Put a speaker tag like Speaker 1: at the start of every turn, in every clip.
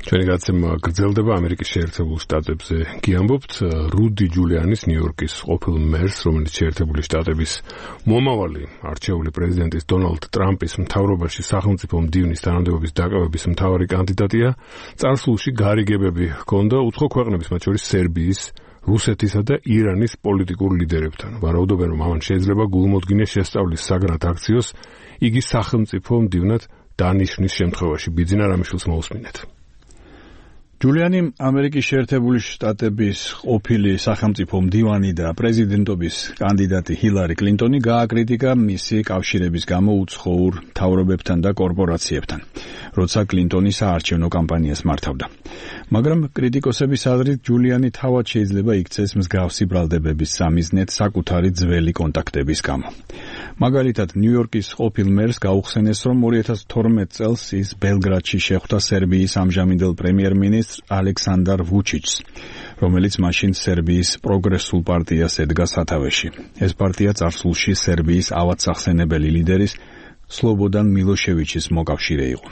Speaker 1: ჩვენი გაცემა გრძელდება ამერიკის შეერთებულ შტატებზე. გიამბობთ რუდი ჯულიანის ნიუ-იორკის ყოფილ მერს, რომელიც შეერთებული შტატების მომავალი არჩეული პრეზიდენტის დონალდ ტრამპის მთავრობაში სახელმწიფო მდივნის თანამდებობის დაკავების მთავარი კანდიდატია. წარსულში გარიგებები ჰქონდა უცხო ქვეყნების, მათ შორის სერბიის, რუსეთისა და ირანის პოლიტიკურ ლიდერებთან. ვარაუდობენ, რომ ამან შეიძლება გულმოდგინე შესწავლის საგრად აქციოს იგი სახელმწიფო მდივნად დანიშნის შემთხვევაში. ბიძინა რამიშვილს მოусმინეთ.
Speaker 2: ჯულიანი ამერიკის შეერთებული შტატების ყოფილი სახელმწიფო მდივანი და პრეზიდენტობის კანდიდატი ჰილარი კლინტონი გააკრიტიკა მისი კავშირების გამო უცხოურ მთავრობებთან და კორპორაციებთან, როცა კლინტონი საარჩევნო კამპანიას მართავდა. მაგრამ კრიტიკოსების აზრით ჯულიანი თავად შეიძლება იქცეს მსგავსი ბრალდებების სამიზნედ საკუთარი ძველი კონტაქტების გამო. მაგალითად, ნიუ-იორკის ყოფილ მერს გაუხსენეს, რომ 2012 წელს ის ბელგრადში შეხვდა სერბიის ამჟამინდელ პრემიერ-მინისტრს ალექსანდარ ვუჩიჩს, რომელიც მაშინ სერბიის პროგრესულ პარტიას ედგა სათავეში. ეს პარტია წარსულში სერბიის ავადსახსენებელი ლიდერის სლობოდან მილოშევიჩის მოკავშირე იყო.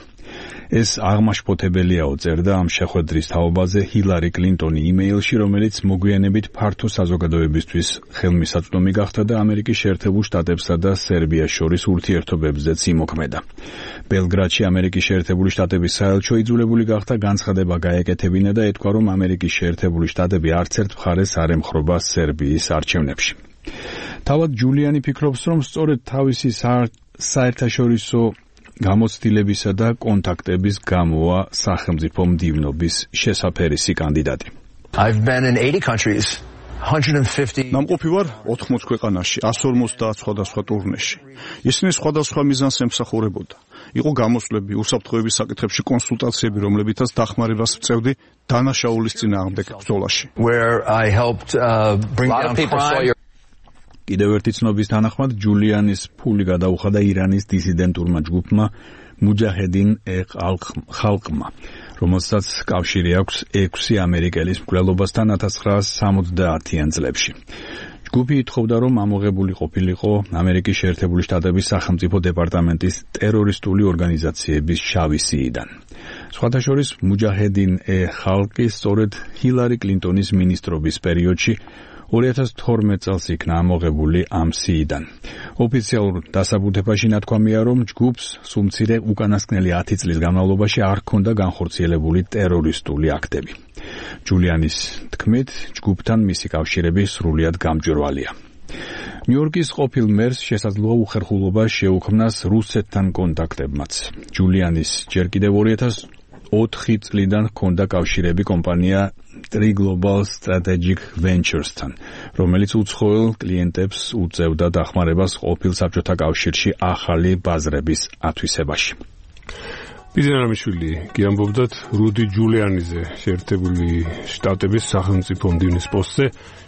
Speaker 2: ეს აღმაშფოთებელიაო, წერდა ამ შეხვედრის თაობაზე ჰილარი კლინტონი იმეილში, რომელიც მოგვიანებით ფართო საზოგადოებისთვის ხელმისაწვდომი გახდა და ამერიკის შეერთებულ შტატებსა და სერბიას შორის ურთიერთობებზეც იმოქმედა. ბელგრადში ამერიკის შეერთებული შტატების საელჩო იძულებული გახდა განცხადება გაეკეთებინა და ეთქვა, რომ ამერიკის შეერთებული შტატები არც ერთ მხარეს არ ემხრობა სერბიის არჩევნებში. თავად ჯულიანი ფიქრობს, რომ სწორედ თავისი საერთაშორისო გამოცდილებისა და კონტაქტების გამოა სახელმწიფო მდივნობის შესაფერისი კანდიდატი.
Speaker 3: I've been in 80 countries, 150.
Speaker 4: ნამყოფი ვარ 80 ქვეყანაში, 150 სხვადასხვა ტურნეში. ისინი სხვადასხვა მიზანს ემსახურებოდა. იყო გამოსვლები, უსაფრთხოების საკითხებში კონსულტაციები, რომლებითაც დახმარებას ვწევდი დანაშაულის წინააღმდეგ ბრძოლაში.
Speaker 3: Where I helped bring down crime.
Speaker 2: კიდევ ერთი ცნობის თანახმად, ჯულიანის ფული გადაუხადა ირანის დისიდენტურმა ჯგუფმა მუჯაჰედინ ხალყმა, რომელსაც კავშირი აქვს 6 ამერიკელის მკვლელობასთან 1970-იან წლებში. ჯგუფი ითხოვდა, რომ ამოღებული ყოფილიყო ამერიკის შეერთებული შტატების სახელმწიფო დეპარტამენტის ტერორისტული ორგანიზაციების შავი სიიდან. სხვათა შორის, მუჯაჰედინ ხალყი სწორედ ჰილარი კლინტონის მინისტრობის პერიოდში 2012 წელს იქნა ამოღებული ამ სიიდან. ოფიციალურ დასაბუთებაში ნათქვამია, რომ ჯგუფს სულმცირე უკანასკნელი 10 წლის განმავლობაში არ ჰქონდა განხორციელებული ტერორისტული აქტები. ჯულიანის თქმით, ჯგუფთან მისი კავშირები სრულიად გამჭვირვალეა. ნიუ-იორკის ყოფილ მერს შესაძლოა უხერხულობა შეუქმნას რუსეთთან კონტაქტებმაც. ჯულიანის ჯერ კიდევ 2004 წლიდან ჰქონდა კავშირები კომპანია Tri Global Strategic Ventures-თან, რომელიც უცხოელ კლიენტებს უწევდა დახმარებას ყოფილ საბჭოთა კავშირში ახალი ბაზრების ათვისებაში.
Speaker 1: ბიძინა რამიშვილი გიამბობდათ რუდი ჯულიანიზე შეერთებული შტატების სახელმწიფო მდივნის პოსტზე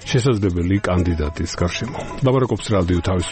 Speaker 1: შესაძლებელი კანდიდატის გარშემო. ლაპარაკობს რადიო თავის